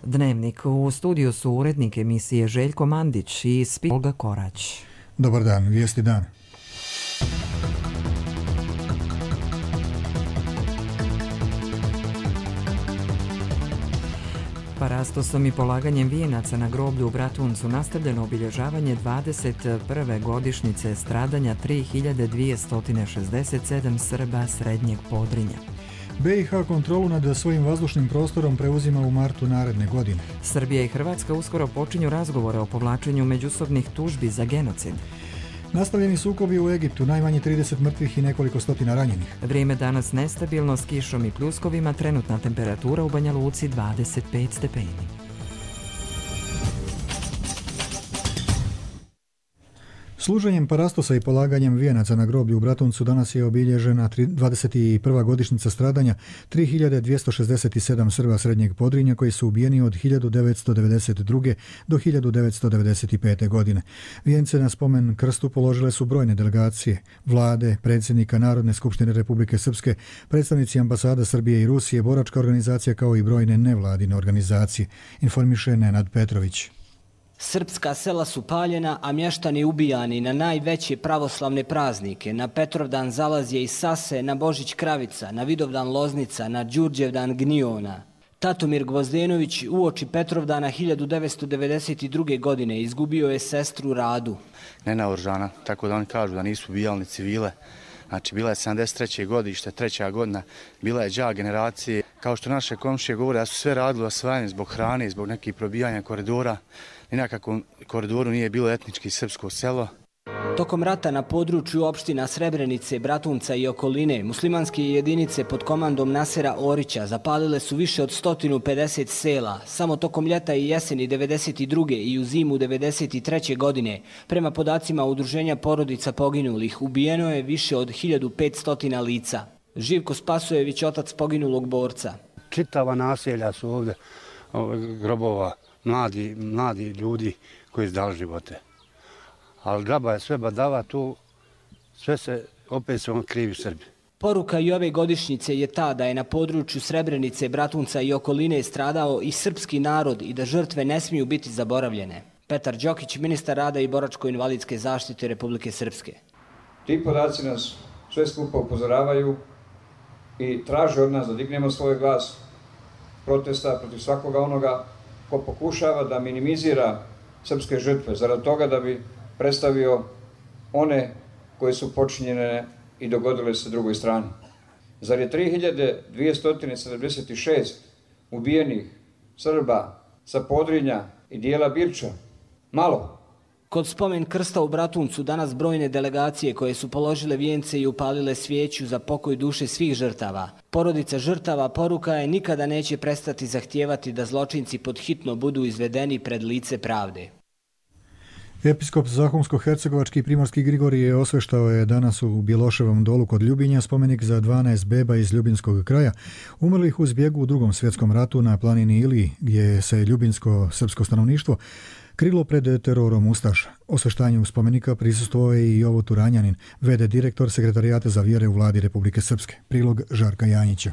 Dnevnik. U studiju su urednik emisije Željko Mandić i Olga Korać. Dobar dan, vijesti dan. Parastosom i polaganjem vijenaca na groblju u Bratuncu nastavljeno obilježavanje 21. godišnjice stradanja 3267 Srba Srednjeg Podrinja. BiH kontrolu nad svojim vazdušnim prostorom preuzima u martu naredne godine. Srbija i Hrvatska uskoro počinju razgovore o povlačenju međusobnih tužbi za genocid. Nastavljeni sukobi u Egiptu, najmanje 30 mrtvih i nekoliko stotina ranjenih. Vrijeme danas nestabilno s kišom i pljuskovima, trenutna temperatura u Banja Luci 25 stepeni. Služenjem parastosa i polaganjem vijenaca na groblju u Bratuncu danas je obilježena 21. godišnjica stradanja 3267 Srba Srednjeg Podrinja koji su ubijeni od 1992. do 1995. godine. Vijence na spomen krstu položile su brojne delegacije, vlade, predsjednika Narodne skupštine Republike Srpske, predstavnici ambasada Srbije i Rusije, boračka organizacija kao i brojne nevladine organizacije, informiše Nenad Petrović. Srpska sela su paljena, a mještani ubijani na najveće pravoslavne praznike, na Petrovdan Zalazje i Sase, na Božić Kravica, na Vidovdan Loznica, na Đurđevdan Gniona. Tatomir Gvozdenović uoči Petrovdana 1992. godine izgubio je sestru Radu. Nenaoružana, tako da oni kažu da nisu ubijali ni civile. Znači, bila je 73. godište, 3. godina, bila je đak generacije. Kao što naše komšije govore da su sve radili osvajanje zbog hrane, zbog nekih probijanja koridora. Ni na kakvom koridoru nije bilo etnički srpsko selo. Tokom rata na području opština Srebrenice, Bratunca i okoline, muslimanske jedinice pod komandom Nasera Orića zapalile su više od 150 sela. Samo tokom ljeta i jeseni 92. i u zimu 93. godine, prema podacima Udruženja porodica poginulih, ubijeno je više od 1500 lica. Živko Spasojević, otac poginulog borca. Čitava naselja su ovdje grobova. Mladi ljudi koji izdali živote. Ali džaba je sve badava tu, sve se opet su krivi Srbi. Poruka i ove godišnjice je ta da je na području Srebrenice, Bratunca i okoline stradao i srpski narod i da žrtve ne smiju biti zaboravljene. Petar Đokić, ministar rada i boračko-invalidske zaštite Republike Srpske. Ti podaci nas sve skupa upozoravaju i traže od nas da dignemo svoj glas protesta protiv svakoga onoga ko pokušava da minimizira srpske žrtve, zarad toga da bi predstavio one koje su počinjene i dogodile se drugoj strani. Zar je 3276 ubijenih Srba sa Podrinja i dijela Birča malo? Kod spomen krsta u Bratuncu danas brojne delegacije koje su položile vijence i upalile svijeću za pokoj duše svih žrtava. Porodica žrtava poruka je nikada neće prestati zahtijevati da zločinci pod hitno budu izvedeni pred lice pravde. Episkop Zahumsko-hercegovački Primorski Grigorije osveštao je danas u Bjeloševom dolu kod Ljubinja spomenik za 12 beba iz Ljubinskog kraja, umrlih u zbjegu u Drugom svjetskom ratu na planini Iliji, gdje se ljubinsko srpsko stanovništvo krilo pred terorom ustaša. Osveštanju spomenika prisustvovao je i Jovo Turanjanin, v.d. direktor Sekretarijata za vjere u vladi Republike Srpske. Prilog Žarka Janjića.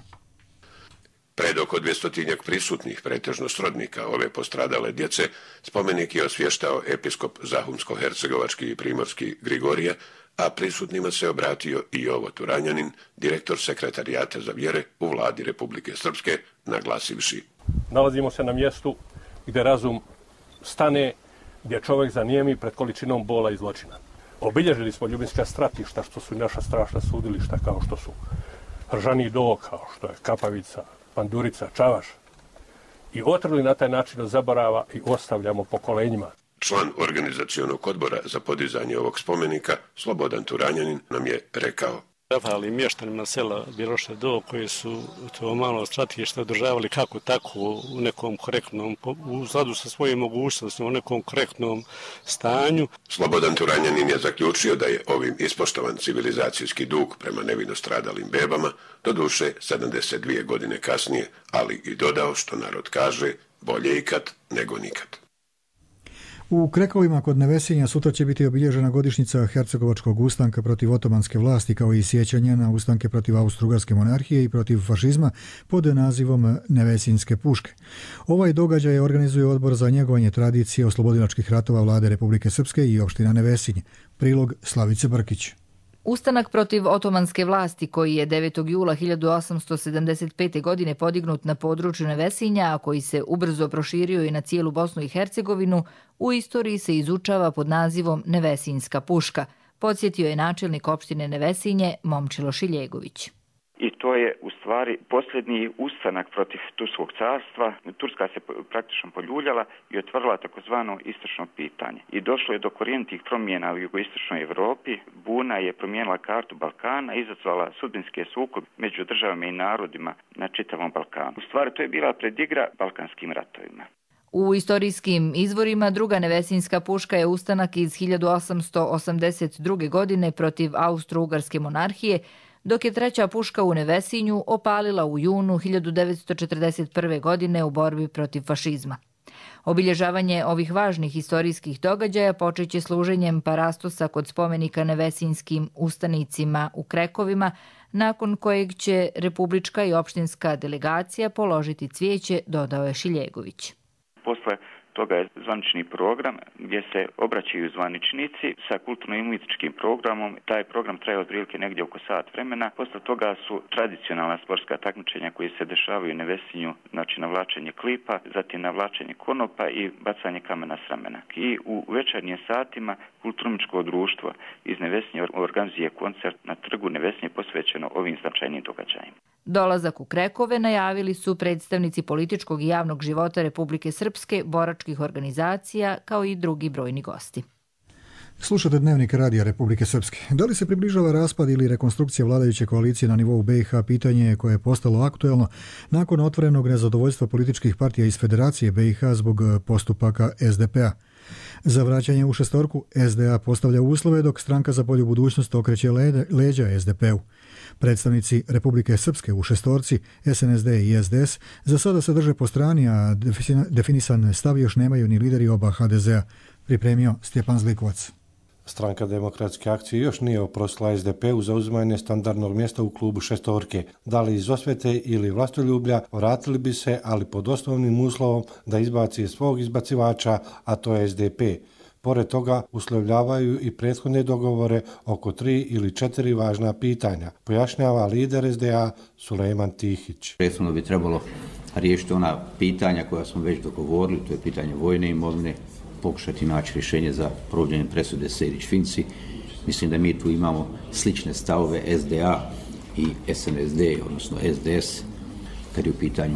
Pred oko 200 prisutnih, pretežno srodnika ove postradale djece, spomenik je osvještao episkop Zahumsko-hercegovački i Primorski Grigorije, a prisutnima se obratio i Jovo Turanjanin, direktor Sekretarijata za vjere u vladi Republike Srpske, naglasivši: Nalazimo se na mjestu gdje razum stane, gdje čovjek zanijemi pred količinom bola i zločina. Obilježili smo ljubinska stratišta, što su i naša strašna sudilišta, kao što su Ržani do, kao što je Kapavica, Pandurica, Čavaš, i otrli na taj način od zaborava i ostavljamo pokolenjima. Član organizacionog odbora za podizanje ovog spomenika, Slobodan Turanjanin, nam je rekao: Zahvali mještanima sela Bjeloše do, koji su to malo stratište održavali kako tako u nekom korektnom, u skladu sa svojim mogućnostima, u nekom korektnom stanju. Slobodan Turanjanin je zaključio da je ovim ispoštovan civilizacijski dug prema nevino stradalim bebama, doduše 72 godine kasnije, ali i dodao, što narod kaže, bolje ikad nego nikad. U Krekovima kod Nevesinja sutra će biti obilježena godišnjica Hercegovačkog ustanka protiv otomanske vlasti, kao i sjećanje na ustanke protiv Austro-Ugarske monarhije i protiv fašizma pod nazivom Nevesinjske puške. Ovaj događaj organizuje Odbor za njegovanje tradicije oslobodilačkih ratova Vlade Republike Srpske i opština Nevesinj. Prilog Slavice Brkić. Ustanak protiv otomanske vlasti, koji je 9. jula 1875. godine podignut na području Nevesinja, a koji se ubrzo proširio i na cijelu Bosnu i Hercegovinu, u istoriji se izučava pod nazivom Nevesinjska puška, podsjetio je načelnik opštine Nevesinje Momčilo Šiljegović. I to je u stvari posljednji ustanak protiv Turskog carstva. Turska se praktično poljuljala i otvorila takozvano istočno pitanje. I došlo je do korijenitih promjena u jugoistočnoj Evropi. Buna je promijenila kartu Balkana, izazvala sudbinske sukobe među državama i narodima na čitavom Balkanu. U stvari to je bila predigra Balkanskim ratovima. U istorijskim izvorima druga Nevesinjska puška je ustanak iz 1882. godine protiv Austro-Ugarske monarhije, dok je treća puška u Nevesinju opalila u junu 1941. godine u borbi protiv fašizma. Obilježavanje ovih važnih istorijskih događaja počeće služenjem parastosa kod spomenika nevesinjskim ustanicima u Krekovima, nakon kojeg će republička i opštinska delegacija položiti cvijeće, dodao je Šiljegović. Posle toga je zvanični program gdje se obraćaju zvaničnici sa kulturno-umjetničkim programom. Taj program traje otprilike negdje oko sat vremena. Posle toga su tradicionalna sportska takmičenja koje se dešavaju u Nevesinju, znači navlačenje klipa, zatim navlačenje konopa i bacanje kamena s ramena. I u večernjim satima kulturno-umjetničko društvo iz Nevesinja organizuje koncert na trgu Nevesinje posvećeno ovim značajnim događajima. Dolazak u Krekove najavili su predstavnici političkog i javnog života Republike Srpske, boračkih organizacija, kao i drugi brojni gosti. Slušate Dnevnik Radija Republike Srpske. Da li se približava raspad ili rekonstrukcija vladajuće koalicije na nivou BiH, pitanje je koje je postalo aktuelno nakon otvorenog nezadovoljstva političkih partija iz Federacije BiH zbog postupaka SDP-a. Za vraćanje u šestorku SDA postavlja uslove, dok Stranka za bolju budućnost okreće leđa SDP-u. Predstavnici Republike Srpske u šestorci, SNSD i SDS, za sada se drže po strani, a definisan stav još nemaju ni lideri oba HDZ-a, pripremio Stjepan Zlikovac. Stranka demokratske akcije još nije oprostila SDP-u za uzimanje standardnog mjesta u klubu šestorke. Da li iz osvete ili vlastoljublja, vratili bi se, ali pod osnovnim uslovom da izbaci svog izbacivača, a to je SDP. Pored toga uslovljavaju i prethodne dogovore oko 3 ili 4 važna pitanja, pojašnjava lider SDA Sulejman Tihić. Prethodno bi trebalo riješiti ona pitanja koja smo već dogovorili, to je pitanje vojne imovine, pokušati naći rješenje za provođenje presude Sejdić-Finci. Mislim da mi tu imamo slične stavove SDA i SNSD, odnosno SDS, kad je u pitanju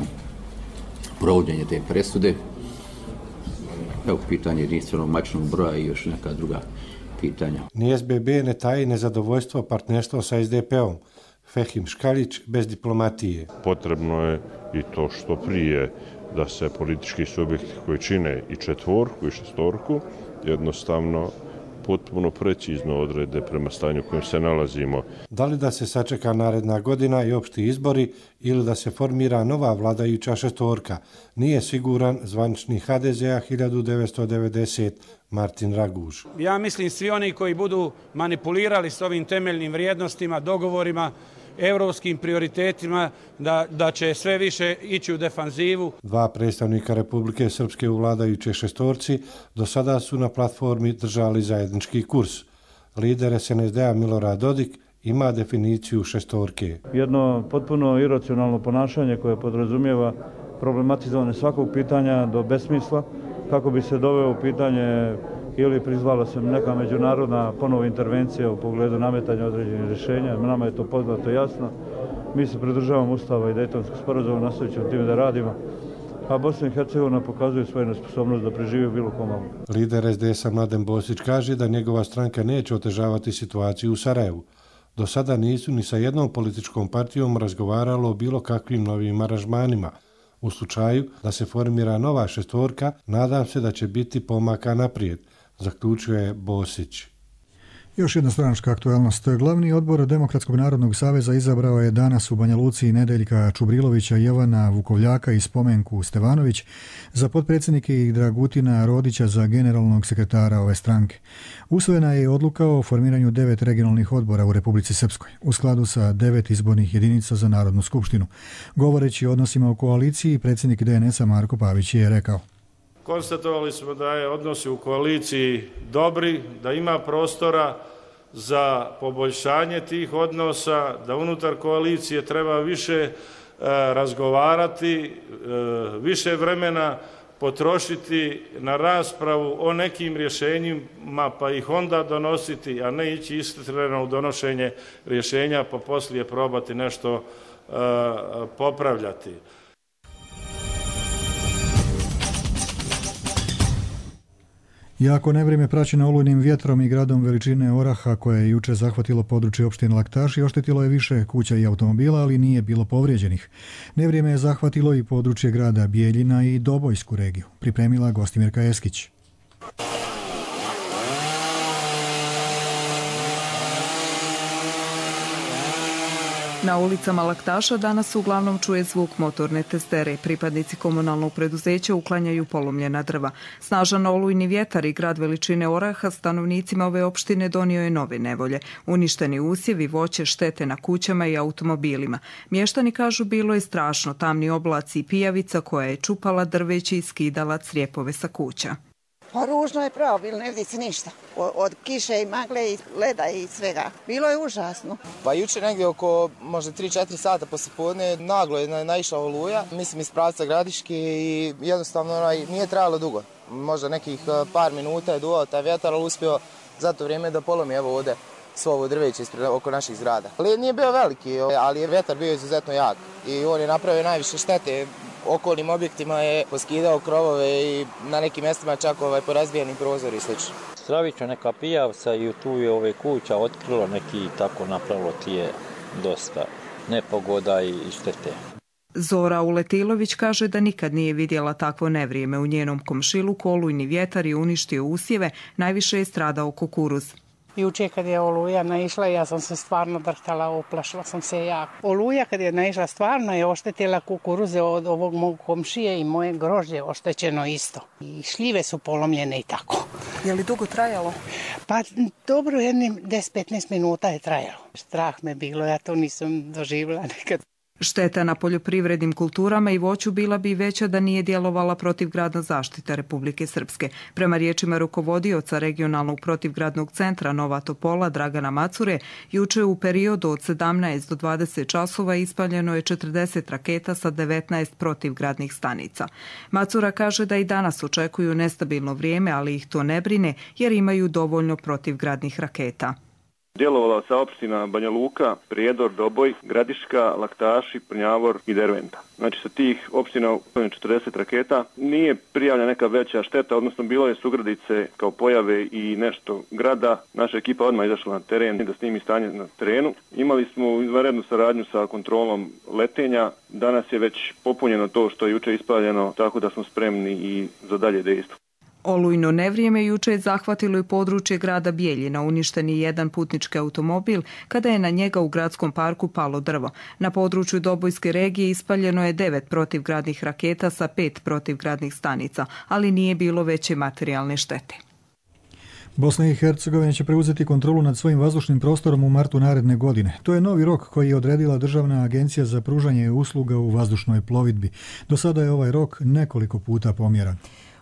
provođenje te presude. Evo pitanje jedinstvenog matičnog broja i još neka druga pitanja. Ni SBB ne taji nezadovoljstvo partnerstva sa SDP-om. Fehim Škalić bez diplomatije. Potrebno je i to što prije da se politički subjekti koji čine i četvorku i šestorku jednostavno potpuno precizno odrede prema stanju u kojem se nalazimo. Da li da se sačeka naredna godina i opšti izbori ili da se formira nova vladajuća šestorka, nije siguran zvanični HDZ-a 1990 Martin Raguž. Ja mislim svi oni koji budu manipulirali s ovim temeljnim vrijednostima, dogovorima, evropskim prioritetima, da će sve više ići u defanzivu. Dva predstavnika Republike Srpske u vladajućoj šestorci do sada su na platformi držali zajednički kurs. Lider SNSD-a Milorad Dodik ima definiciju šestorke. Jedno potpuno iracionalno ponašanje koje podrazumijeva problematizovanje svakog pitanja do besmisla, kako bi se doveo u pitanje ili prizvala se neka međunarodna ponovo intervencija u pogledu nametanja određenih rješenja. Nama je to poznato jasno. Mi se pridržavamo Ustava i Dejtonskog sporazuma, nastavit ćemo time da radimo. A Bosna i Hercegovina pokazuje svoju nesposobnost da preživi u bilo komu. Lider SDS-a Mladen Bosić kaže da njegova stranka neće otežavati situaciju u Sarajevu. Do sada nisu ni sa jednom političkom partijom razgovaralo o bilo kakvim novim aranžmanima. U slučaju da se formira nova šestorka, nadam se da će biti pomaka naprijed, zaključuje Bosić. Još jedna stranačka aktualnost. Glavni odbor Demokratskog narodnog saveza izabrao je danas u Banja Luci Nedeljka Čubrilovića, Jovana Vukovljaka i Spomenku Stevanović za potpredsjednike i Dragutina Rodića za generalnog sekretara ove stranke. Usvojena je odluka o formiranju 9 regionalnih odbora u Republici Srpskoj, u skladu sa 9 izbornih jedinica za Narodnu skupštinu. Govoreći o odnosima u koaliciji, predsjednik DNS-a Marko Pavić je rekao: konstatovali smo da je odnosi u koaliciji dobri, da ima prostora za poboljšanje tih odnosa, da unutar koalicije treba više razgovarati, više vremena potrošiti na raspravu o nekim rješenjima pa ih onda donositi, a ne ići istreno u donošenje rješenja pa poslije probati nešto popravljati. Jako nevrijeme praćeno olujnim vjetrom i gradom veličine oraha koje je juče zahvatilo područje opštine Laktaši oštetilo je više kuća i automobila, ali nije bilo povrijeđenih. Nevrijeme je zahvatilo i područje grada Bijeljina i Dobojsku regiju, pripremila Gostimirka Eskić. Na ulicama Laktaša danas se uglavnom čuje zvuk motorne testere. Pripadnici komunalnog preduzeća uklanjaju polomljena drva. Snažan olujni vjetar i grad veličine oraha stanovnicima ove opštine donio je nove nevolje. Uništeni usjevi, voće, štete na kućama i automobilima. Mještani kažu bilo je strašno, tamni oblaci i pijavica koja je čupala drveće i skidala crijepove sa kuća. Pa ružno je pravo, bilo ne vidi se ništa. Od kiše i magle i leda i svega. Bilo je užasno. Pa juče negdje oko možda 3-4 sata poslijepodne naglo je naišla oluja, mislim iz pravca Gradiške i jednostavno nije trajalo dugo. Možda nekih par minuta je duvao taj vjetar, ali uspio za to vrijeme da polomi evo ovdje svo ovo drveće oko naših zgrada. Led nije bio veliki, ali je vjetar bio izuzetno jak i on je napravio najviše štete. Okolnim objektima je poskidao krovove i na nekim mjestima čak porazbijeni prozori i sl. Stravično neka pijavca i tu je kuća otkrilo neki tako napravilo ti je dosta nepogoda i štete. Zora Uletilović kaže da nikad nije vidjela takvo nevrijeme. U njenom komšiluku olujni vjetar je uništio usjeve, najviše je stradao kukuruz. Juče kad je oluja naišla, ja sam se stvarno drhtala, oplašila sam se jako. Oluja kad je naišla stvarno je oštetila kukuruze od ovog mog komšije i moje grožđe oštećeno isto. I šljive su polomljene i tako. Je li dugo trajalo? Pa dobro, jednim 10-15 minuta je trajalo. Strah me bilo, ja to nisam doživjela nekad. Šteta na poljoprivrednim kulturama i voću bila bi veća da nije djelovala protivgradna zaštita Republike Srpske. Prema riječima rukovodioca regionalnog protivgradnog centra Nova Topola Dragana Macure, juče u periodu od 17 do 20 časova ispaljeno je 40 raketa sa 19 protivgradnih stanica. Macura kaže da i danas očekuju nestabilno vrijeme, ali ih to ne brine jer imaju dovoljno protivgradnih raketa. Djelovala sa opština Banja Luka, Prijedor, Doboj, Gradiška, Laktaši, Prnjavor i Derventa. Znači sa tih opština 40 raketa nije prijavljena neka veća šteta, odnosno bilo je sugradice kao pojave i nešto grada. Naša ekipa odmah izašla na teren da snimi stanje na terenu. Imali smo izvanrednu saradnju sa kontrolom letenja. Danas je već popunjeno to što je juče ispaljeno, tako da smo spremni i za dalje dejstvo. Olujno nevrijeme juče je zahvatilo i područje grada Bijeljina. Uništen je jedan putnički automobil kada je na njega u gradskom parku palo drvo. Na području Dobojske regije ispaljeno je 9 protivgradnih raketa sa 5 protivgradnih stanica, ali nije bilo veće materijalne štete. Bosna i Hercegovina će preuzeti kontrolu nad svojim vazdušnim prostorom u martu naredne godine. To je novi rok koji je odredila Državna agencija za pružanje usluga u vazdušnoj plovidbi. Do sada je ovaj rok nekoliko puta pomjeran.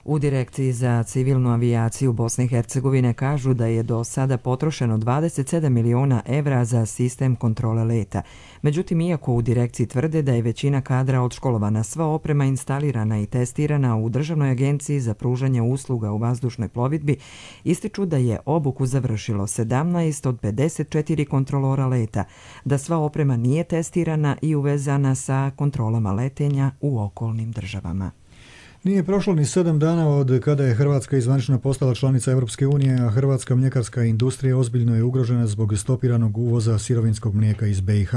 U Direkciji za civilnu avijaciju Bosne i Hercegovine kažu da je do sada potrošeno 27 miliona evra za sistem kontrole leta. Međutim, iako u direkciji tvrde da je većina kadra odškolovana, sva oprema instalirana i testirana u Državnoj agenciji za pružanje usluga u vazdušnoj plovidbi, ističu da je obuku završilo 17 od 54 kontrolora leta, da sva oprema nije testirana i uvezana sa kontrolama letenja u okolnim državama. Nije prošlo ni 7 dana od kada je Hrvatska zvanično postala članica Europske unije, a hrvatska mljekarska industrija ozbiljno je ugrožena zbog stopiranog uvoza sirovinskog mlijeka iz BiH.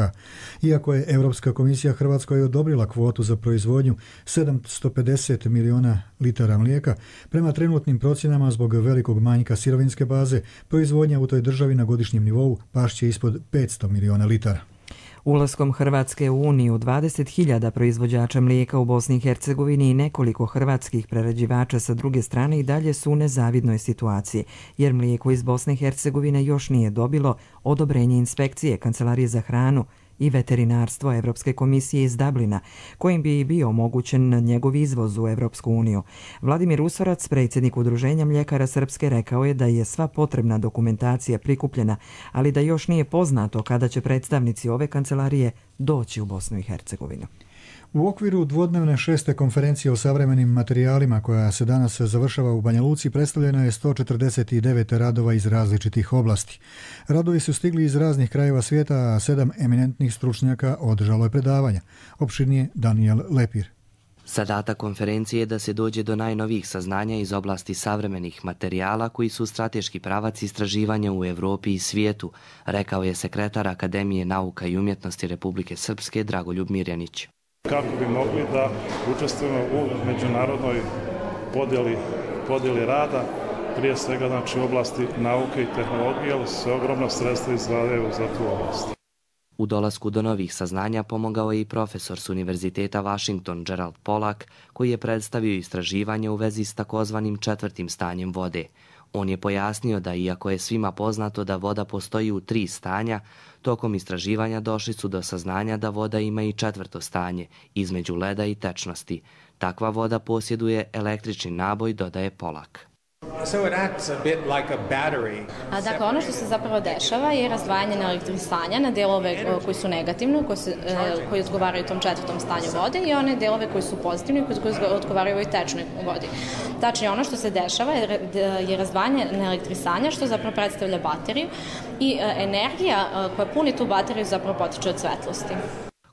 Iako je Europska komisija Hrvatskoj odobrila kvotu za proizvodnju 750 milijuna litara mlijeka, prema trenutnim procjenama zbog velikog manjka sirovinske baze, proizvodnja u toj državi na godišnjem nivou pašće ispod 500 milijuna litara. Ulaskom Hrvatske u Uniju 20.000 proizvođača mlijeka u Bosni i Hercegovini i nekoliko hrvatskih prerađivača sa druge strane i dalje su u nezavidnoj situaciji, jer mlijeko iz Bosne i Hercegovine još nije dobilo odobrenje inspekcije Kancelarije za hranu i veterinarstvo Evropske komisije iz Dublina, kojim bi bio omogućen njegov izvoz u Evropsku uniju. Vladimir Usorac, predsjednik Udruženja mljekara Srpske, rekao je da je sva potrebna dokumentacija prikupljena, ali da još nije poznato kada će predstavnici ove kancelarije doći u Bosnu i Hercegovinu. U okviru dvodnevne 6. konferencije o savremenim materijalima koja se danas završava u Banja Luci predstavljeno je 149 radova iz različitih oblasti. Radovi su stigli iz raznih krajeva svijeta, a 7 eminentnih stručnjaka održalo je predavanja. Opširnije Daniel Lepir. Zadatak konferencije je da se dođe do najnovijih saznanja iz oblasti savremenih materijala koji su strateški pravac istraživanja u Evropi i svijetu, rekao je sekretar Akademije nauka i umjetnosti Republike Srpske Dragoljub Mirjanić. Kako bi mogli da učestvujemo u međunarodnoj podjeli rada, prije svega znači u oblasti nauke i tehnologije, ali se ogromna sredstva izdvajaju za tu oblast. U dolasku do novih saznanja pomogao je i profesor s Univerziteta Washington Gerald Pollack, koji je predstavio istraživanje u vezi s takozvanim 4. stanjem vode. On je pojasnio da iako je svima poznato da voda postoji u 3 stanja, tokom istraživanja došli su do saznanja da voda ima i 4. stanje, između leda i tečnosti. Takva voda posjeduje električni naboj, dodaje Pollack. Dakle, ono što se zapravo dešava je razdvajanje na elektrisanja na delove koji su negativni, koji odgovaraju tom 4. stanju vode, i one delove koji su pozitivni, koji odgovaraju ovoj tečnoj vodi. Tačnije, ono što se dešava je razdvajanje na elektrisanja, što zapravo predstavlja bateriju, i energija koja puni tu bateriju zapravo potiče od svetlosti.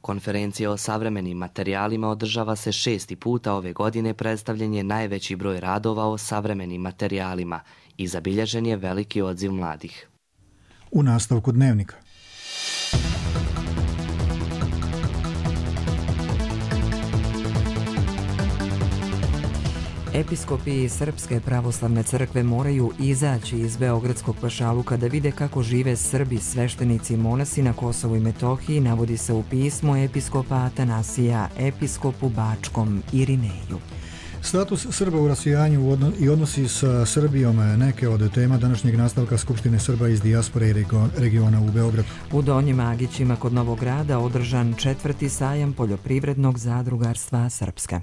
Konferencija o savremenim materijalima održava se 6. puta ove godine, predstavljen je najveći broj radova o savremenim materijalima i zabilježen je veliki odziv mladih. U nastavku dnevnika. Episkopi Srpske pravoslavne crkve moraju izaći iz Beogradskog pašaluka da vide kako žive Srbi, sveštenici i monasi na Kosovu i Metohiji, navodi se u pismu episkopa Atanasija, episkopu Bačkom Irineju. Status Srba u rasijanju i odnosi sa Srbijom neke od tema današnjeg nastavka Skupštine Srba iz dijaspore i regiona u Beogradu. U Donjim Agićima kod Novog Grada održan 4. sajam poljoprivrednog zadrugarstva Srpske.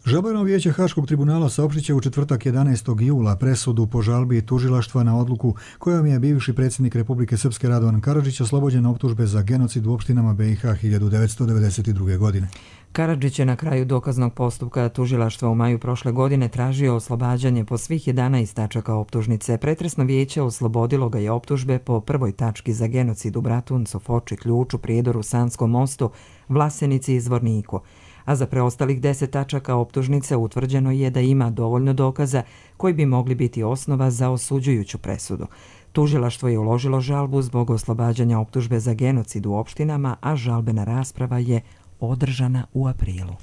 Žalbeno vijeće Haškog tribunala saopštit će u četvrtak 11. jula presudu po žalbi tužilaštva na odluku kojom je bivši predsjednik Republike Srpske Radovan Karadžić oslobođen optužbe za genocid u opštinama BiH 1992. godine. Karadžić je na kraju dokaznog postupka tužilaštva u maju prošle godine tražio oslobađanje po svih 11 tačaka optužnice. Pretresno vijeće oslobodilo ga je optužbe po prvoj tački za genocid u Bratuncu, Foči, Ključu, Prijedoru, Sanskom mostu, Vlasenici i Zvorniku. A za preostalih 10 tačaka optužnice utvrđeno je da ima dovoljno dokaza koji bi mogli biti osnova za osuđujuću presudu. Tužilaštvo je uložilo žalbu zbog oslobađanja optužbe za genocid u opštinama, a žalbena rasprava je održana u aprilu.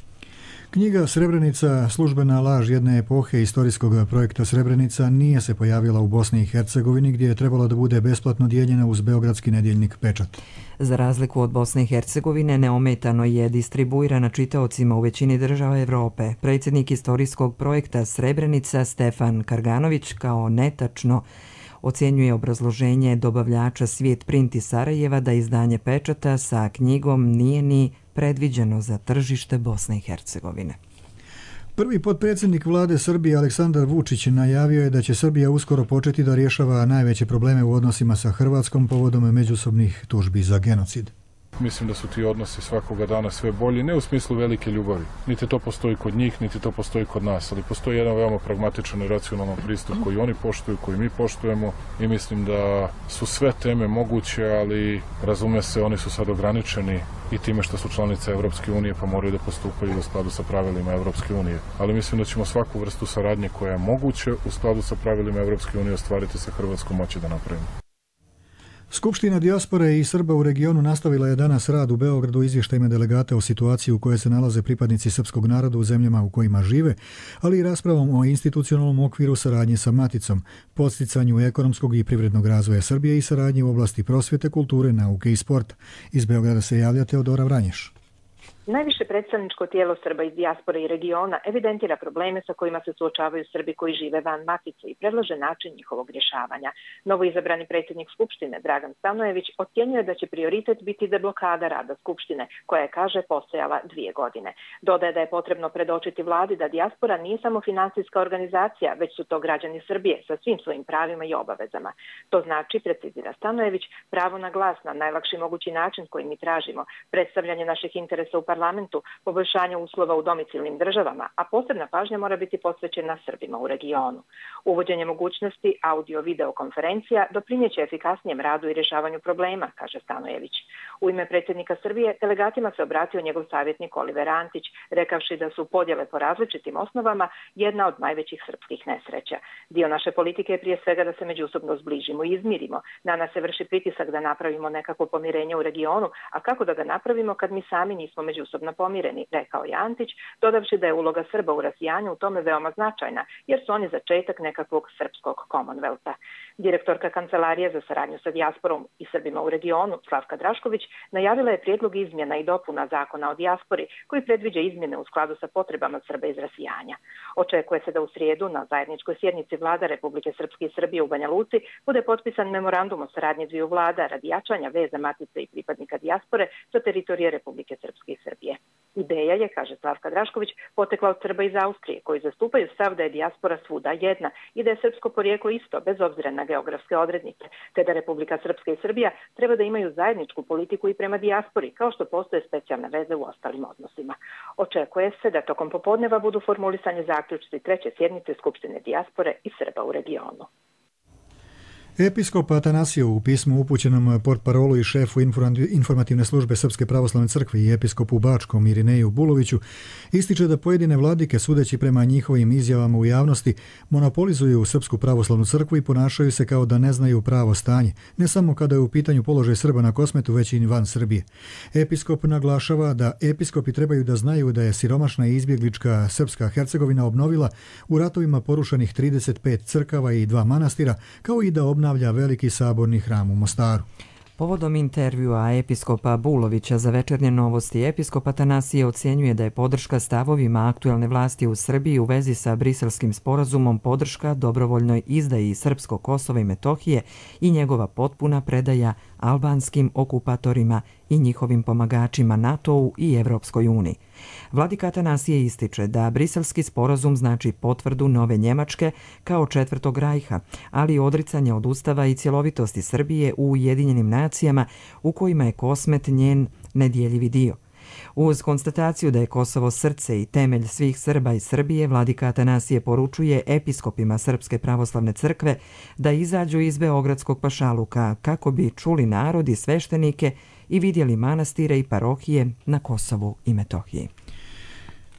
Knjiga Srebrenica, službena laž jedne epohe istorijskog projekta Srebrenica, nije se pojavila u Bosni i Hercegovini, gdje je trebalo da bude besplatno dijeljena uz beogradski nedjeljnik Pečat. Za razliku od Bosne i Hercegovine, neometano je distribuirana čitaocima u većini država Evrope. Predsjednik istorijskog projekta Srebrenica, Stefan Karganović, kao netačno ocjenjuje obrazloženje dobavljača Svijet print iz Sarajeva da izdanje Pečata sa knjigom nije ni predviđeno za tržište Bosne i Hercegovine. Prvi potpredsjednik vlade Srbije Aleksandar Vučić najavio je da će Srbija uskoro početi da rješava najveće probleme u odnosima sa Hrvatskom povodom međusobnih tužbi za genocid. Mislim da su ti odnosi svakoga dana sve bolji, ne u smislu velike ljubavi. Niti to postoji kod njih, niti to postoji kod nas, ali postoji jedan veoma pragmatičan i racionalan pristup koji oni poštuju, koji mi poštujemo i mislim da su sve teme moguće, ali razume se, oni su sad ograničeni i time što su članice Evropske unije pa moraju da postupaju u skladu sa pravilima Evropske unije. Ali mislim da ćemo svaku vrstu saradnje koja je moguće u skladu sa pravilima Evropske unije ostvariti sa Hrvatskom moći da napravimo. Skupština dijaspore i Srba u regionu nastavila je danas rad u Beogradu izvještajima delegata o situaciji u kojoj se nalaze pripadnici srpskog naroda u zemljama u kojima žive, ali i raspravom o institucionalnom okviru saradnje sa Maticom, podsticanju ekonomskog i privrednog razvoja Srbije i saradnje u oblasti prosvjete, kulture, nauke i sporta. Iz Beograda se javlja Teodora Vranješ. Najviše predstavničko tijelo Srba iz dijaspore i regiona evidentira probleme sa kojima se suočavaju Srbi koji žive van Matice i predlaže način njihovog rješavanja. Novoizabrani predsjednik Skupštine Dragan Stanojević ocjenjuje da će prioritet biti deblokada rada Skupštine, koja je, kaže, postojala 2 godine. Dodaje da je potrebno predočiti vladi da dijaspora nije samo finansijska organizacija, već su to građani Srbije sa svim svojim pravima i obavezama. To znači, precizira Stanojević, pravo na glas na najlakši mogući način koji mi tražimo, predstavljanje naših interesa u parlamentu, poboljšanje uslova u domicilnim državama, a posebna pažnja mora biti posvećena Srbima u regionu. Uvođenje mogućnosti audio-video konferencija doprinjeće efikasnijem radu i rješavanju problema, kaže Stanojević. U ime predsjednika Srbije delegatima se obratio njegov savjetnik Oliver Antić, rekavši da su podjele po različitim osnovama jedna od najvećih srpskih nesreća. Dio naše politike je prije svega da se međusobno zbližimo i izmirimo. Na nas se vrši pritisak da napravimo nekako pomirenje u regionu, a kako da ga napravimo kad mi sami nismo međusobno pomireni, rekao je Antić, dodavši da je uloga Srba u rasijanju u tome veoma značajna, jer su oni začetak nekakvog srpskog Commonwealtha. Direktorka Kancelarije za saradnju sa dijasporom i Srbima u regionu, Slavka Drašković, najavila je prijedlog izmjena i dopuna zakona o dijaspori, koji predviđa izmjene u skladu sa potrebama Srba iz rasijanja. Očekuje se da u srijedu na zajedničkoj sjednici vlada Republike Srpske i Srbije u Banja Luci bude potpisan memorandum o saradnji dviju vlada radi jačanja veza Matice i pripadnika dijaspore sa teritorije Republike Srpske i Srbije. Ideja je, kaže Slavka Drašković, potekla od Srba iz Austrije, koji zastupaju stav da je dijaspora svuda jedna i da je srpsko porijeklo isto, bez obzira na geografske odrednice, te da Republika Srpska i Srbija treba da imaju zajedničku politiku i prema dijaspori, kao što postoje specijalne veze u ostalim odnosima. Očekuje se da tokom popodneva budu formulisani zaključci 3. sjednice Skupštine dijaspore i Srba u regionu. Episkop Atanasije u pismu upućenom portparolu i šefu informativne službe Srpske pravoslavne crkve i episkopu Bačkom Irineju Buloviću ističe da pojedine vladike, sudeći prema njihovim izjavama u javnosti, monopolizuju Srpsku pravoslavnu crkvu i ponašaju se kao da ne znaju pravo stanje, ne samo kada je u pitanju položaj Srba na Kosmetu, već i van Srbije. Episkop naglašava da episkopi trebaju da znaju da je siromašna i izbjeglička Srpska Hercegovina obnovila u ratovima porušenih 35 crkava i 2 manastira, kao i da obnavlja veliki saborni hram u Mostaru. Povodom intervjua episkopa Bulovića za Večernje novosti, episkop Atanasije ocjenjuje da je podrška stavovima aktuelne vlasti u Srbiji u vezi sa Briselskim sporazumom podrška dobrovoljnoj izdaji Srpskog Kosova i Metohije i njegova potpuna predaja albanskim okupatorima i njihovim pomagačima NATO-u i Evropskoj uniji. Vladika Atanasije ističe da Briselski sporazum znači potvrdu nove Njemačke kao Četvrtog rajha, ali i odricanje od Ustava i cjelovitosti Srbije u Ujedinjenim nacijama u kojima je Kosmet njen nedjeljivi dio. Uz konstataciju da je Kosovo srce i temelj svih Srba iz Srbije, vladika Atanasije poručuje episkopima Srpske pravoslavne crkve da izađu iz Beogradskog pašaluka kako bi čuli narod i sveštenike i vidjeli manastire i parohije na Kosovu i Metohiji.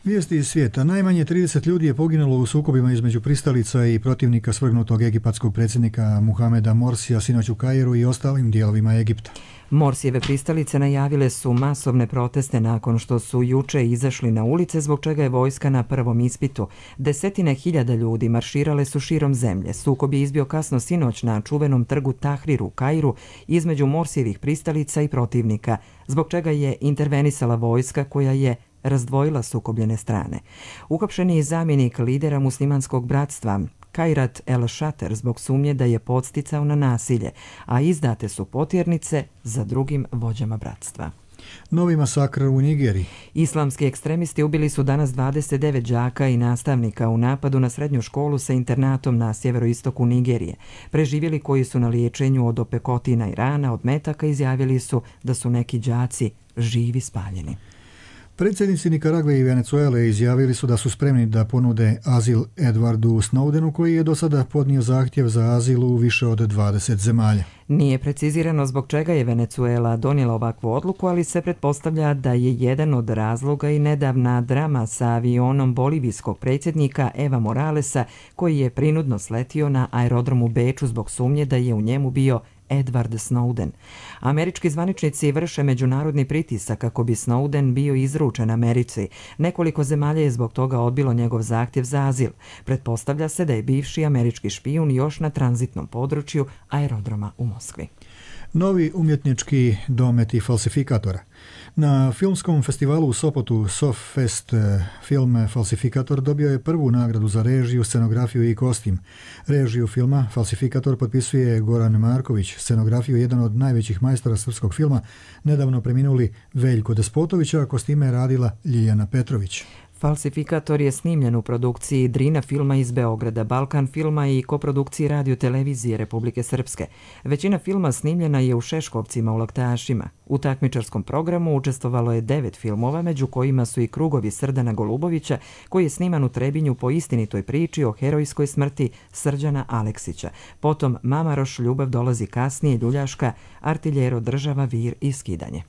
Vijesti iz svijeta. Najmanje 30 ljudi je poginulo u sukobima između pristalica i protivnika svrgnutog egipatskog predsjednika Muhameda Morsija sinoć u Kairu i ostalim dijelovima Egipta. Morsijeve pristalice najavile su masovne proteste nakon što su juče izašli na ulice, zbog čega je vojska na prvom ispitu. Desetine hiljada ljudi marširale su širom zemlje. Sukob je izbio kasno sinoć na čuvenom trgu Tahrir u Kairu između Morsijevih pristalica i protivnika, zbog čega je intervenisala vojska koja je razdvojila sukobljene strane. Uhapšen je zamjenik lidera muslimanskog bratstva Kairat el-Shater zbog sumnje da je podsticao na nasilje, a izdate su potjernice za drugim vođama bratstva. Novi masakr u Nigeriji. Islamski ekstremisti ubili su danas 29 đaka i nastavnika u napadu na srednju školu sa internatom na sjeveroistoku Nigerije. Preživjeli koji su na liječenju od opekotina i rana od metaka izjavili su da su neki đaci živi spaljeni. Predsjednici Nikaragve i Venezuele izjavili su da su spremni da ponude azil Edwardu Snowdenu, koji je do sada podnio zahtjev za azil u više od 20 zemalja. Nije precizirano zbog čega je Venezuela donijela ovakvu odluku, ali se pretpostavlja da je jedan od razloga i nedavna drama sa avionom bolivijskog predsjednika Eva Moralesa, koji je prinudno sletio na aerodrom u Beču zbog sumnje da je u njemu bio Edward Snowden. Američki zvaničnici vrše međunarodni pritisak kako bi Snowden bio izručen Americi. Nekoliko zemalja je zbog toga odbilo njegov zahtjev za azil. Pretpostavlja se da je bivši američki špijun još na tranzitnom području aerodroma u Moskvi. Novi umjetnički dometi falsifikatora. Na filmskom festivalu u Sopotu Soffest film Falsifikator dobio je prvu nagradu za režiju, scenografiju i kostim. Režiju filma Falsifikator potpisuje Goran Marković, scenografiju jedan od najvećih majstora srpskog filma, nedavno preminuli Veljko Despotović, a kostime je radila Ljiljana Petrović. Falsifikator je snimljen u produkciji Drina filma iz Beograda, Balkan filma i koprodukciji Radio-televizije Republike Srpske. Većina filma snimljena je u Šeškovcima u Laktašima. U takmičarskom programu učestvovalo je 9 filmova, među kojima su i Krugovi Srdana Golubovića, koji je sniman u Trebinju po istinitoj priči o herojskoj smrti Srđana Aleksića. Potom Mamaroš, Ljubav dolazi kasnije, Ljuljaška, Artiljero, Država, Vir i Skidanje.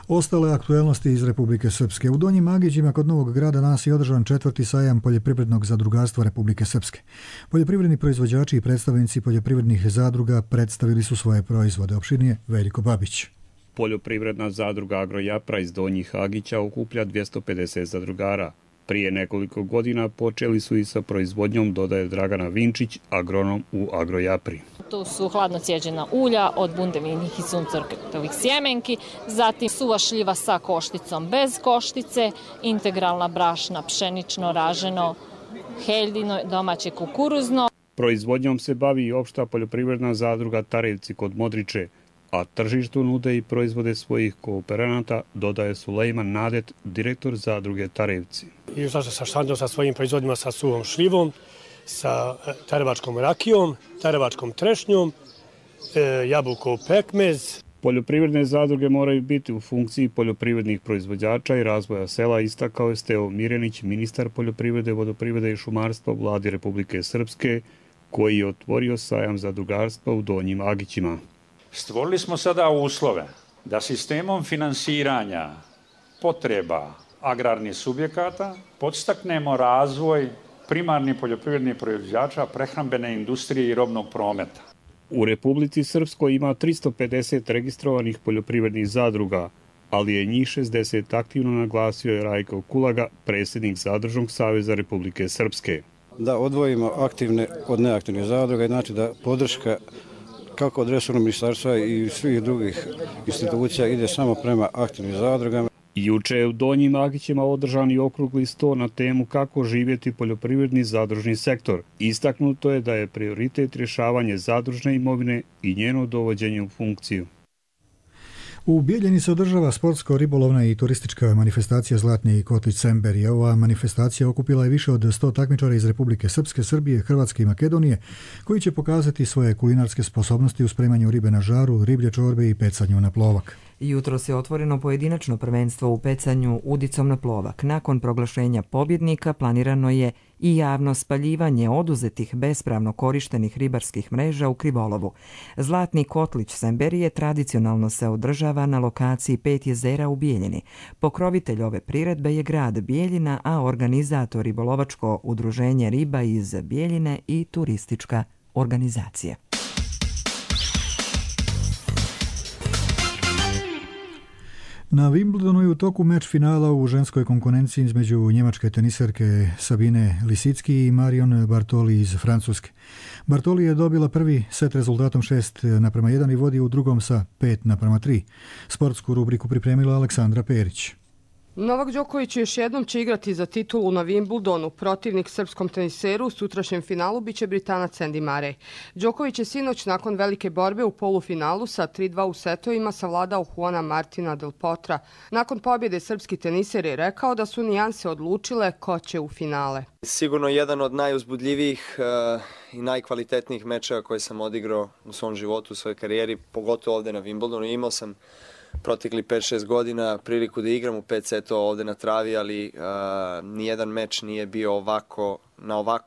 Ostale aktuelnosti iz Republike Srpske. U Donjim Agićima kod Novog Grada danas je održan 4. sajam poljoprivrednog zadrugarstva Republike Srpske. Poljoprivredni proizvođači i predstavnici poljoprivrednih zadruga predstavili su svoje proizvode. Opširnije Veljko Babić. Poljoprivredna zadruga Agrojapra iz Donjih Agića okuplja 250 zadrugara. Prije nekoliko godina počeli su i sa proizvodnjom, dodaje Dragana Vinčić, agronom u Agrojapri. Tu su hladno cijeđena ulja od bundevinih i suncokrtovih sjemenki, zatim suva šljiva sa košticom bez koštice, integralna brašna, pšenično, raženo, heljino, domaće kukuruzno. Proizvodnjom se bavi i opšta poljoprivredna zadruga Tarevci kod Modriče, a tržištu nude i proizvode svojih kooperanata, dodaje Sulejman Nadet, direktor zadruge Tarevci. Izlaže sa štandom sa svojim proizvodima sa suvom šljivom, sa tarevačkom rakijom, tarevačkom trešnjom, jabukov pekmez. Poljoprivredne zadruge moraju biti u funkciji poljoprivrednih proizvođača i razvoja sela, istakao je Steo Mirjanić, ministar poljoprivrede, vodoprivrede i šumarstva u vladi Republike Srpske, koji je otvorio sajam zadrugarstva u Donjim Agićima. Stvorili smo sada uslove da sistemom finansiranja potreba agrarnih subjekata podstaknemo razvoj primarnih poljoprivrednih proizvođača, prehrambene industrije i robnog prometa. U Republici Srpskoj ima 350 registrovanih poljoprivrednih zadruga, ali je njih 60 aktivno, naglasio je Rajko Kulaga, predsjednik Zadružnog saveza Republike Srpske. Da odvojimo aktivne od neaktivnih zadruga, znači da podrška kako od resornog ministarstva i svih drugih institucija ide samo prema aktivnim zadrugama. Juče je u Donjim Agićima održan i okrugli sto na temu kako živjeti poljoprivredni zadružni sektor. Istaknuto je da je prioritet rješavanje zadružne imovine i njeno dovođenje u funkciju. U Bijeljini se održava sportsko-ribolovna i turistička manifestacija Zlatni kotlić Semberije. Ova manifestacija okupila je više od 100 takmičara iz Republike Srpske, Srbije, Hrvatske i Makedonije, koji će pokazati svoje kulinarske sposobnosti u spremanju ribe na žaru, riblje čorbe i pecanju na plovak. Jutros je otvoreno pojedinačno prvenstvo u pecanju udicom na plovak. Nakon proglašenja pobjednika planirano je i javno spaljivanje oduzetih bespravno korištenih ribarskih mreža u krivolovu. Zlatni kotlić Semberije tradicionalno se održava na lokaciji 5 jezera u Bijeljini. Pokrovitelj ove priredbe je grad Bijeljina, a organizator ribolovačko udruženje riba iz Bijeljine i turistička organizacija. Na Wimbledonu je u toku meč finala u ženskoj konkurenciji između njemačke teniserke Sabine Lisicki i Marion Bartoli iz Francuske. Bartoli je dobila prvi set rezultatom 6:1 i vodi u drugom sa 5:3. Sportsku rubriku pripremila Aleksandra Perić. Novak Đoković još jednom će igrati za titulu na Wimbledonu. Protivnik srpskom teniseru u sutrašnjem finalu biće Britanac Andy Murray. Đoković je sinoć nakon velike borbe u polufinalu sa 3-2 u setovima savladao Juana Martina del Potra. Nakon pobjede srpski teniser je rekao da su nijanse odlučile ko će u finale. Sigurno jedan od najuzbudljivijih i najkvalitetnijih mečeva koje sam odigrao u svom životu, u svojoj karijeri, pogotovo ovde na Wimbledonu. Imao sam protekli 5-6 godina priliku da igram u 5 setova ovde na travi, ali nijedan meč nije bio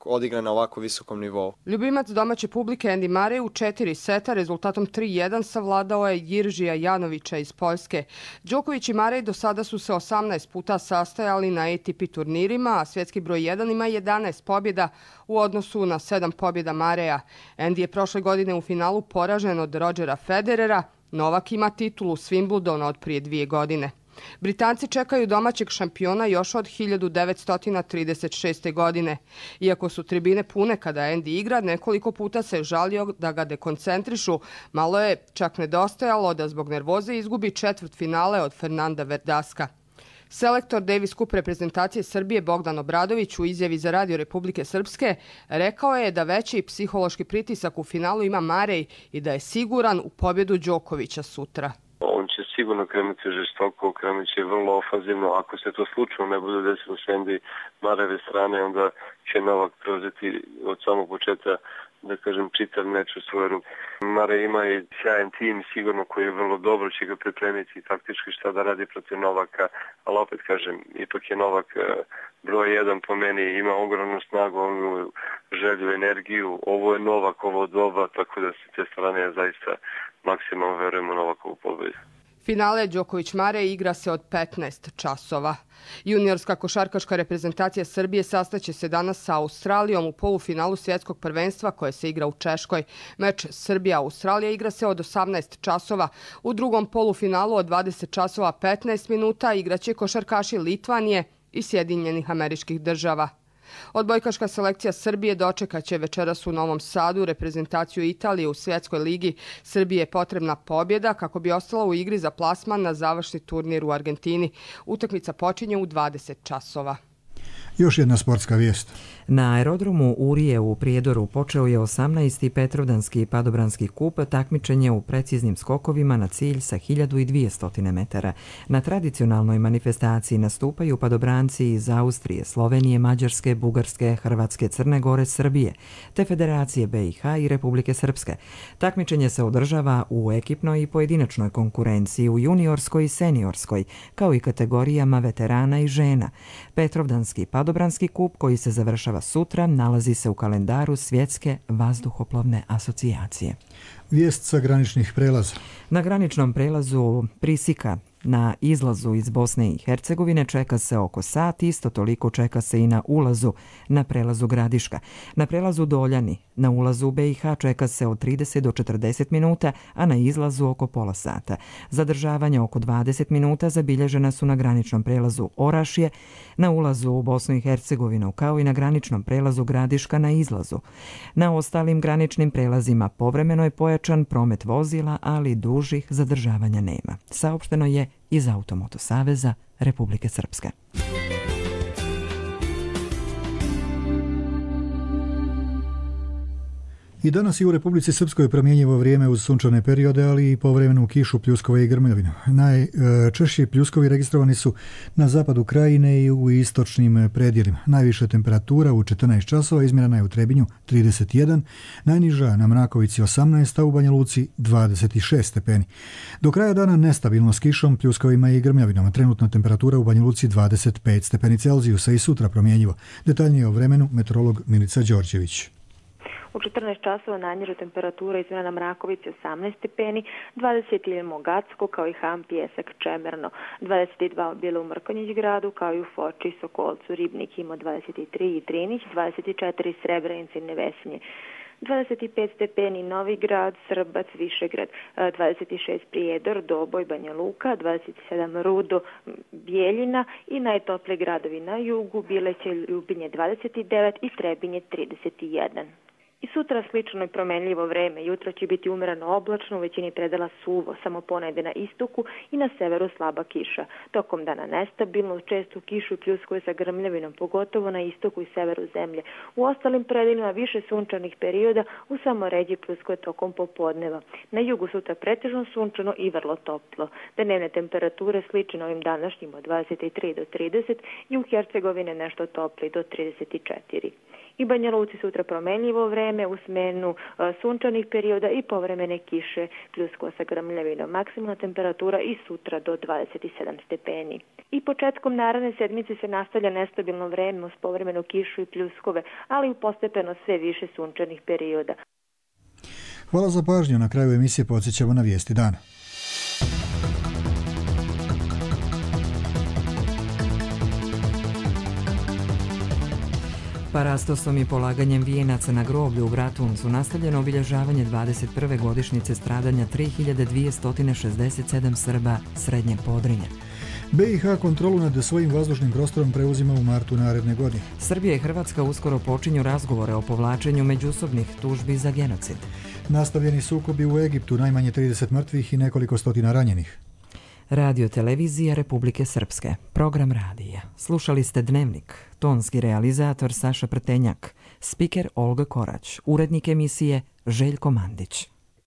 odigran na ovako visokom nivou. Ljubimac domaće publike Andy Murray u 4 seta rezultatom 3-1 savladao je Jiržija Janovića iz Poljske. Đoković i Murray do sada su se 18 puta sastajali na ATP turnirima, a svjetski broj 1 ima 11 pobjeda u odnosu na 7 pobjeda Murraya. Andy je prošle godine u finalu poražen od Rodgera Federera. Novak ima titulu s Wimbledona od prije 2 godine. Britanci čekaju domaćeg šampiona još od 1936. godine. Iako su tribine pune kada Andy igra, nekoliko puta se žalio da ga dekoncentrišu. Malo je čak nedostajalo da zbog nervoze izgubi četvrtfinale od Fernanda Verdaska. Selektor Davis Cup reprezentacije Srbije Bogdan Obradović u izjavi za Radio Republike Srpske rekao je da veći psihološki pritisak u finalu ima Murray i da je siguran u pobjedu Đokovića sutra. On će sigurno krenuti žestoko, krenut će vrlo ofanzivno. Ako se to slučajno ne bude desilo s Andy Murrayve strane, onda će Novak preuzeti od samog početka, da kažem, čitav meč u svoju ruku. Murray ima i sjajan tim sigurno koji je vrlo dobro, će ga pripremiti taktički šta da radi protiv Novaka, ali opet kažem, ipak je Novak broj 1 po meni, ima ogromnu snagu, želju, energiju, ovo je Novak, ovo doba, tako da se te strane ja zaista maksimalno verujem u Novakovu pobjedu. Finale Đoković-Murray igra se od 15 časova. Juniorska košarkaška reprezentacija Srbije sastaće se danas sa Australijom u polufinalu svjetskog prvenstva koje se igra u Češkoj. Meč Srbija-Australija igra se od 18 časova. U drugom polufinalu od 20 časova 15 minuta igraće košarkaši Litvanije i Sjedinjenih Američkih Država. Odbojkaška selekcija Srbije dočekaće večeras u Novom Sadu reprezentaciju Italije u Svjetskoj ligi. Srbije je potrebna pobjeda kako bi ostala u igri za plasman na završni turnir u Argentini. Utakmica počinje u 20 časova. Još jedna sportska vijest. Na aerodromu Urije u Prijedoru počeo je 18. Petrovdanski padobranski kup, takmičenje u preciznim skokovima na cilj sa 1200 metara. Na tradicionalnoj manifestaciji nastupaju padobranci iz Austrije, Slovenije, Mađarske, Bugarske, Hrvatske, Crne Gore, Srbije, te Federacije BiH i Republike Srpske. Takmičenje se održava u ekipnoj i pojedinačnoj konkurenciji, u juniorskoj i seniorskoj, kao i kategorijama veterana i žena. Petrovdanski padobranski kup koji se završava sutra nalazi se u kalendaru Svjetske vazduhoplovne asocijacije. Vijest sa graničnih prelaza. Na graničnom prelazu Prisika na izlazu iz Bosne i Hercegovine čeka se oko sat, isto toliko čeka se i na ulazu na prelazu Gradiška. Na prelazu Doljani na ulazu u BiH čeka se od 30 do 40 minuta, a na izlazu oko pola sata. Zadržavanja oko 20 minuta zabilježena su na graničnom prelazu Orašje, na ulazu u Bosnu i Hercegovinu, kao i na graničnom prelazu Gradiška na izlazu. Na ostalim graničnim prelazima povremeno je pojačan promet vozila, ali dužih zadržavanja nema. Saopšteno je iz Automoto saveza Republike Srpske. I danas je u Republici Srpskoj promjenjivo vrijeme uz sunčane periode, ali i povremenu kišu, pljuskove i grmljavinu. Najčešći pljuskovi registrovani su na zapadu krajine i u istočnim predjelima. Najviša temperatura u 14 časova izmjerena je u Trebinju 31, najniža na Mrakovici 18, a u Banja Luci 26 stepeni. Do kraja dana nestabilno s kišom, pljuskovima i grmljavinom. Trenutna temperatura u Banja Luci 25 stepeni Celzijusa i sutra promjenjivo. Detaljnije o vremenu meteorolog Milica Đorđević. U 14 časova najniža temperatura izmjena na Mrakovici 18 stepeni, 20 u Mogacku kao i Ham, Pjesak, Čemerno, 22 bilo u Mrkonjić gradu kao i u Foči, Sokolcu, Ribnik ima 23 i Trinić, 24 Srebrenici, Nevesinje, 25 stepeni Novi Grad, Srbac, Višegrad, 26 Prijedor, Doboj, Banja Luka, 27 Rudo, Bijeljina i najtoplije gradovi na jugu, Bileće, Ljubinje 29 i Trebinje 31. I sutra slično i promenljivo vreme. Jutro će biti umereno oblačno, u većini predela suvo, samo ponegde na istoku i na severu slaba kiša. Tokom dana nestabilno, često kišu i pljuskuje sa grmljavinom, pogotovo na istoku i severu zemlje. U ostalim predelima više sunčanih perioda, u samo ređi pljuskuje tokom popodneva. Na jugu sutra pretežno sunčano i vrlo toplo. Dnevne temperature slične ovim današnjim od 23 do 30 i u Hercegovine nešto topli do 34. I Banja Luci sutra promenljivo vreme u smenu sunčanih perioda i povremene kiše pljuskova sa grmljavinom. Maksimalna temperatura i sutra do 27 stepeni. I početkom naredne sedmice se nastavlja nestabilno vreme uz povremenu kišu i pljuskove, ali postepeno sve više sunčanih perioda. Hvala za pažnju. Na kraju emisije podsjećamo na vijesti dana. Parastosom i polaganjem vijenaca na groblju u Bratuncu nastavljeno obilježavanje 21. godišnjice stradanja 3267 Srba Srednjeg Podrinja. BiH kontrolu nad svojim vazdušnim prostorom preuzima u martu naredne godine. Srbija i Hrvatska uskoro počinju razgovore o povlačenju međusobnih tužbi za genocid. Nastavljeni sukobi u Egiptu, najmanje 30 mrtvih i nekoliko stotina ranjenih. Radio televizija Republike Srpske. Program radija. Slušali ste Dnevnik. Tonski realizator Saša Prtenjak. Spiker Olga Korać. Urednik emisije Željko Mandić.